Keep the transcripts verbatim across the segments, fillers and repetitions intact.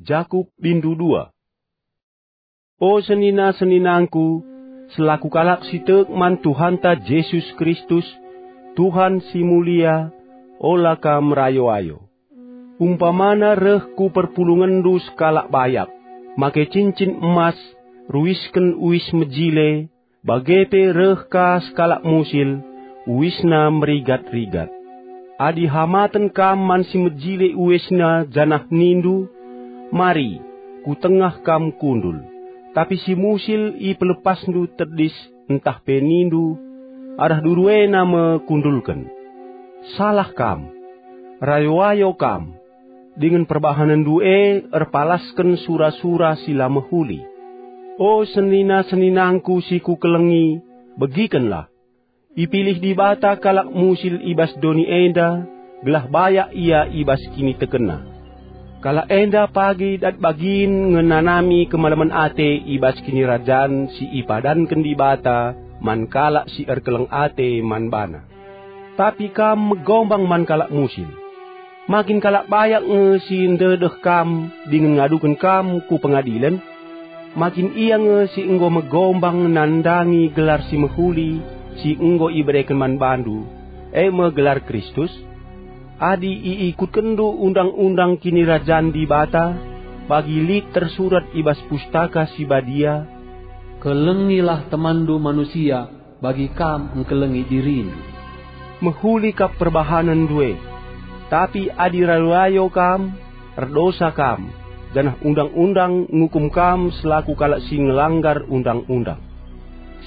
Jakup bindu dua. O senina-seninangku, selaku kalak si tek man Tuhanta Jesus Kristus, Tuhan si mulia, ola kam rayo-ayo. Umpamana reh ku perpulungenndu sekalak bayak, make cincin emas, ruisken uis mejile, bage pe reh ka sekalak musil, uisna merigat-rigat. Adi hamaten kam man si mejile uisna janah nindu, "Mari, ku tengah kam kundul," tapi si musil ipelepasndu tedis ntah pe nindu, "Arah duru ena me kundulken." Salah kam! Rayo-ayo kam! Dingen perbahanenndu e erpalasken sura-sura si la mehuli. O senina-seninangku si kukelengi, begikenlah! Ipilih Dibata kalak musil i bas doni enda, gelah bayak ia i bas kinitekenna. Kalak enda pagi dat bagin ngenanami kemalemen ate i bas kinirajan si ipadanken Dibata man kalak si erkeleng ate man baNa. Tapi kam megombang man kalak musil. Ma kin kalak bayak nge si ndedeh kam dingen ngaduken kam ku pengadilen? Ma kin ia nge si enggo megombang nandangi gelar si mehuli si enggo ibereken man bandu, e me gelar Kristus? Adi iikutkenndu undang-undang Kinirajan Dibata, bagi lit tersurat i bas Pustaka Si Badia, "Kelengilah temanndu manusia, bagi kam engkelengi dirindu." Mehuli kap perbahanenndu e. Tapi adi rayo-rayo kam, erdosa kam, janah undang-undang ngukum kam selaku kalak si ngelanggar undang-undang.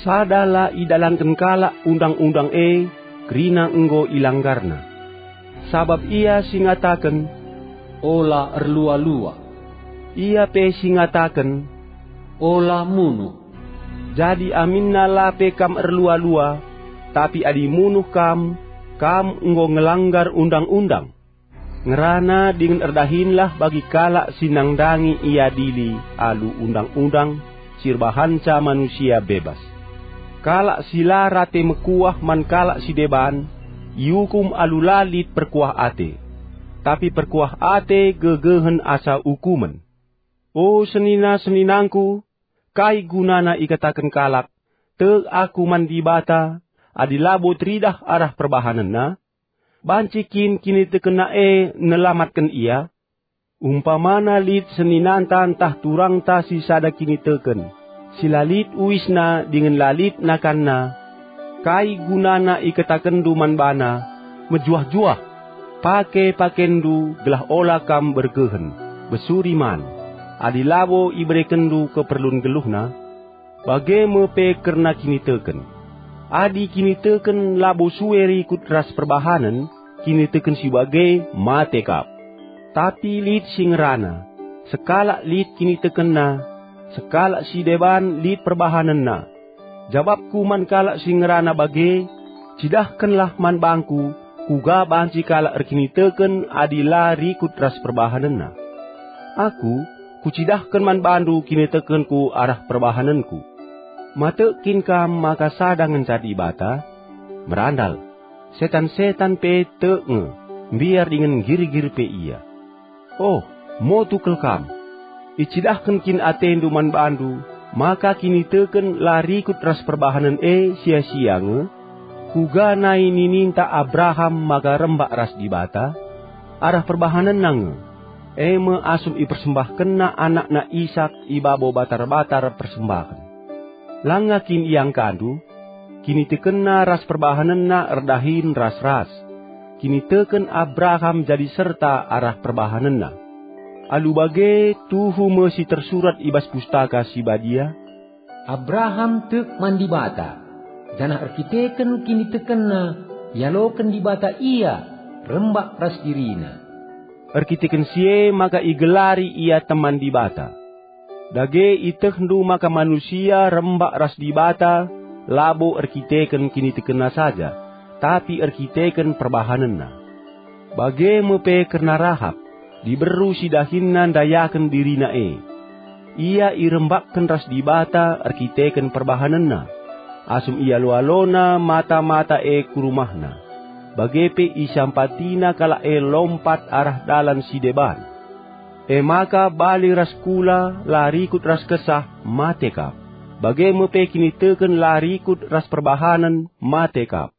Sada la idalanken kalak undang-undang e kerina enggo ilanggarna. Sabap ia si ngataken, "Ola erlua-lua." Ia pe si ngataken, "Ola munuh." Jadi aminna la pe kam erlua-lua, tapi adi munuh kam, kam enggo ngelanggar undang-undang. Ngerana dingen erdahinlah bagi kalak si nandangi iadili alu undang-undang si erbahanca manusia bebas. Kalak si la rate mekuah man kalak si deban iukum alu la lit perkuah ate, tapi perkuah ate gegehen asa ukumen. O senina-seninangku, kai gunana ikataken kalak, "Tek aku man Dibata," adi labo teridah arah perbahanenna? Banci kin kinitekenna e nelamatken ia? Umpamana lit seninanta ntah turangta si sada kiniteken, si la lit uisna dingen la lit nakanna, kai gunana ikatakenndu man bana, "Mejuah-juah, pake pakenndu gelah ola kam bergehen, besuri man," adi labo iberekenndu keperlun geluhna? Bage me pe kerna kiniteken. Adi kiniteken labo sue rikut ras perbahanen, kiniteken si bage mate kap. Tapi lit si ngerana, sekalak lit kinitekenna, sekalak si deban lit perbahanenna. Jabapku man kalak si ngerana bage, cidahkenlah man bangku, kuga banci kalak erkiniteken adi la rikut ras perbahanenna. Aku, kucidahken man bandu kinitekenku arah perbahanenku. Ma tek kin kam maka sada ngenca Dibata? Merandal, setan-setan pe tek nge, mbiar dingen nggirgir pe ia. Oh, motu kal kam! Icidahken kin atendu man bandu maka kiniteken la rikut ras perbahanen e sia-sia nge? Kuga nai nininta Abraham maka rembak ras Dibata? Arah perbahanenna nge, e me asum ipersembahkenna anakna Isak i babo batar-batar persembahen. Langa kin iangkandu? Kinitekenna ras perbahanenna erdahin ras-ras. Kiniteken Abraham jadi serta arah perbahanenna. Alu bage tuhu me si tersurat i bas Pustaka Si Badia, "Abraham tek man Dibata, janah erkiteken kinitekenna ialoken Dibata ia rembak ras dirina." Erkiteken si e maka igelari ia teman Dibata. Dage ietehndu maka manusia rembak ras Dibata labo erkiteken kinitekenna saja, tapi erkiteken perbahanenna. Bage me pe kerna Rahap, diberu si dahinna ndayaken dirina e. Ia irembakken ras Dibata erkiteken perbahanenna, asum ialo-alona mata-mata e ku rumahna, bage pe isampatina kalak e lompat arah dalan si deban. E maka bali ras kula la rikut ras Kesah, mate kap. Bage me pe kiniteken la rikut ras perbahanen, mate kap.